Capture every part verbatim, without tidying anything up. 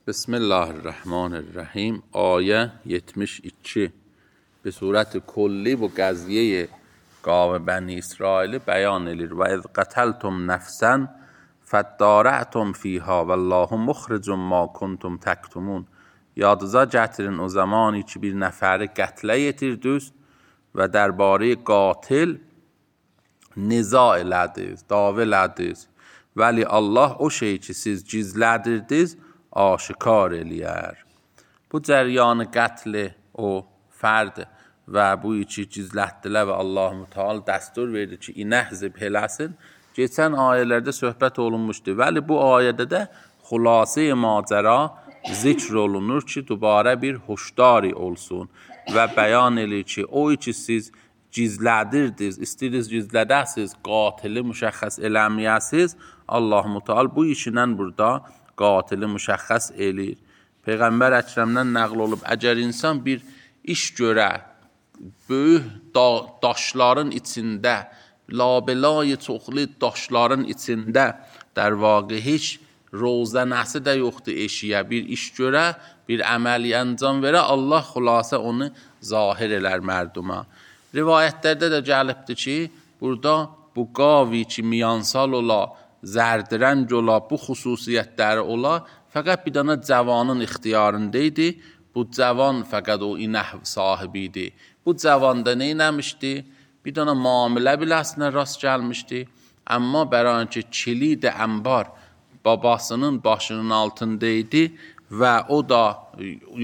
Bismillahirrahmanirrahim. Ayə yetmiş iki به صورت کلی bu qəziyyə qavm Bəni İsraili bəyan edir. Və iz qataltum nafsan faddara'tum fiha vallahu mukhrijum ma kuntum taktumun. Yadınıza gətirin o zamanı ki bir nəfəri qətlə yetirdiniz və dərbarə qatil niza elədiniz, dava elədiniz. Vəli Allah o şey ki siz gizlədirdiniz aşikar eləyər. Bu cəryanı qətli o fərd və bu içi gizlətdilər və Allah-u Teala dəstur verdi ki, inəhzib eləsin. Keçən ayələrdə söhbət olunmuşdu. Vəli bu ayədə də xülasə macəra zikr olunur ki, dubarə bir hoşdari olsun və bəyan edir ki, o içi siz gizlədirdiniz, istəyirsiniz gizlədəsiniz, qatili müşəxəs eləməyəsiniz. Allah-u Teala bu işindən burada qatili müşəxəs eləyir. Peyğəmbər Əkrəmdən nəql olub, əgər insan bir iş görə, böyük da daşların içində, labelay çoxlu daşların içində, der vaqi heç rozənəsi də yoxdur eşiyə, bir iş görə, bir əməli əncam verə, Allah xülasə onu zahir elər mərduma. Rivayətlərdə də gəlibdir ki, burada bu qavi ki miyansal ola, zərdirəng ola, bu xüsusiyyətləri ola, fəqət bir dana cavanın ixtiyarında idi. Bu cavan fəqət o inəhv sahibi idi. Bu cavanda nə eləmişdi? Bir dana müamilə biləsinə rast gəlmişdi. Amma bəran ki kilid ənbar babasının başının altında idi və o da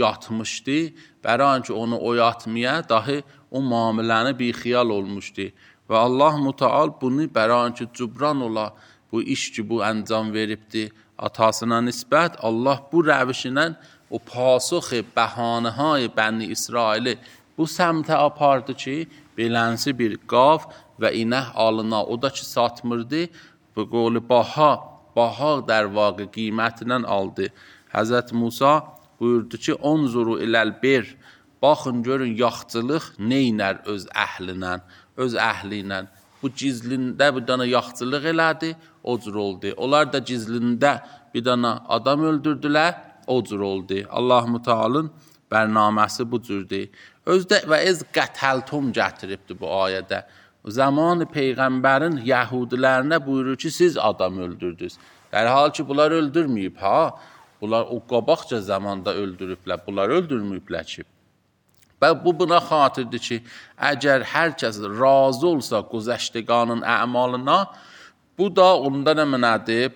yatmışdı. Bəran ki onu oyatmaya dahi o müamiləni bir xiyal olmuşdu. Və Allah-u Teala bunu bəran ki cübran ola, bu iş ki bu əncam veribdi atasına nisbət, Allah bu rəvişlə o pasux bəhanəهای Bəni İsraili bu səmtə apardı ki, belənsi bir qav və inəh alına, o da ki satmırdı, bu qolu baha, baha der vaqı qiymətindən aldı. Həzrət Musa buyurdu ki, onzuru iləl-bir, baxın görün yaxçılıq neynər öz əhlinə, öz əhli ilə. Bu gizlində bir dana yaxçılıq elədi, o cür oldu. Onlar da gizlində bir dana adam öldürdülər, o cür oldu. Allah-u Teala'nın bərnaməsi bu cürdür. Özdə və ez qətəltum gətiribdir bu ayədə. Zamanı Peyğəmbərin Yahudilərinə buyurur ki, siz adam öldürdünüz. Der hal ki bunlar öldürməyib, ha? Bunlar o qabaqca zamanda öldürüblər, bunlar öldürməyiblər ki. Və bu buna xatirdir ki, əgər hər kəs razı olsa güzəştəganın əmalına, bu da onda nə mənədir?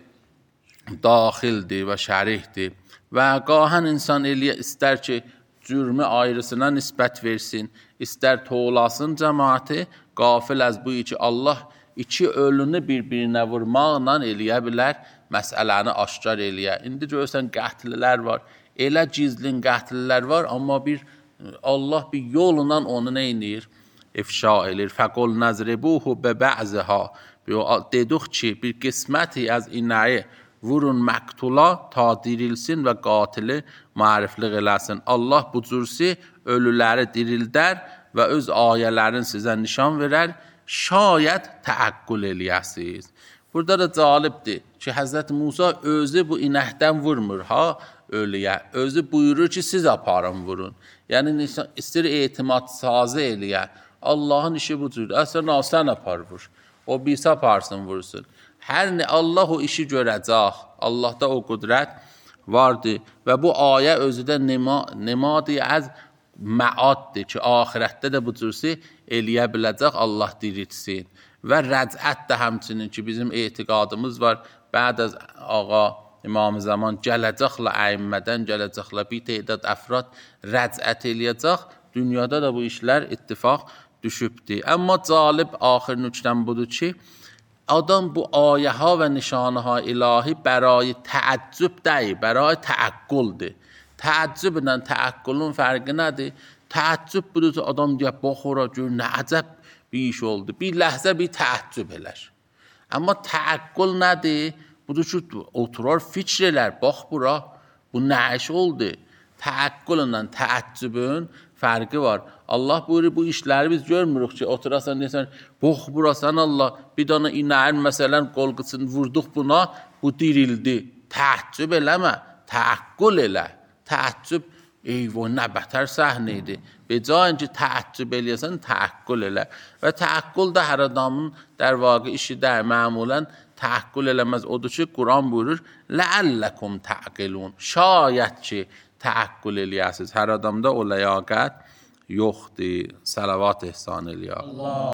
Daxildir və şərihdir. Və qahən insan eləyə istər ki, cürmü ayrısına nisbət versin, istər toğlasın cəmaati, qafil əz bu iki Allah iki ölünü bir-birinə vurmaqla eləyə bilər, məsələni aşkar eləyə. İndi görürsən qətlilər var, elə gizlin qətlilər var, amma bir Allah bir yolundan onu nə edir? İfşa edir. Fəqul nəzribuhu bəbə'zəha. Dedik ki, bir qisməti az inəyi vurun məktula ta dirilsin və qatili mariflik eləsin. Allah bu cürsi ölüləri dirildər və öz ayələrini sizə nişan verər. Şayət təəqqül eləyəsiniz. Burada da calibdir ki, Həzrət Musa özü bu inəkdən vurmur, ha? Ölüyə. Özü buyurur ki, siz aparın vurun. Yəni, istir etimad sazı eləyə. Allahın işi bu cür. Əslən, sən apar vur. O birisi aparsın, vursun. Hər nə Allah o işi görəcək. Allahda o qüdrət vardır. Və bu ayə özü də nemadı az məaddir ki, ahirətdə də bu cürsi eləyə biləcək, Allah dirilsin. Və rəcət də həmçinin ki, bizim etiqadımız var. Bəd az ağa İmam-ı Zaman gələcəklə əyimmədən gələcəklə bir tehdad əfrad rəcət eləyəcək. Dünyada da bu işlər ittifaq düşübdir. Amma calib axir nüqtən budur ki, adam bu ayəha və nişanəha ilahi bəray təəccüb deyil, bəray təəqqüldür. Təəccüblə təəqqülün fərqi nədir? Təəccüb budur ki, adam deyək, baxora gör, nə əcəb bir iş oldu. Bir ləhzə bir təəccüb eləş. Amma təəqqül nədir? Budur ki, oturar fikr elər, bax bura, bu nə iş oldu? Təəqqüllə təəccübün fərqi var. Allah buyurur, bu işləri biz görmürük ki, oturasan, deyəsən, bax bura, sən Allah, bir dana inəyin məsələn qolqısını vurduq buna, bu dirildi. Təəccüb eləmə, təəqqül elə, təəccüb, eyvə, nə bətər səhnə idi. Becə ki, təəccüb eləyəsən, təəqqül elə. Və təəqqül də hər adamın در واقع işi də məmulən təəqqül eləməz. Odur ki, Quran buyurur, لَعَلَّكُمْ تَعْقِلُونَ. Şayət ki, təəqqül eləyəsiniz. Hər adamda o ləyaqət yoxdur. Salavat ehsan eləyək.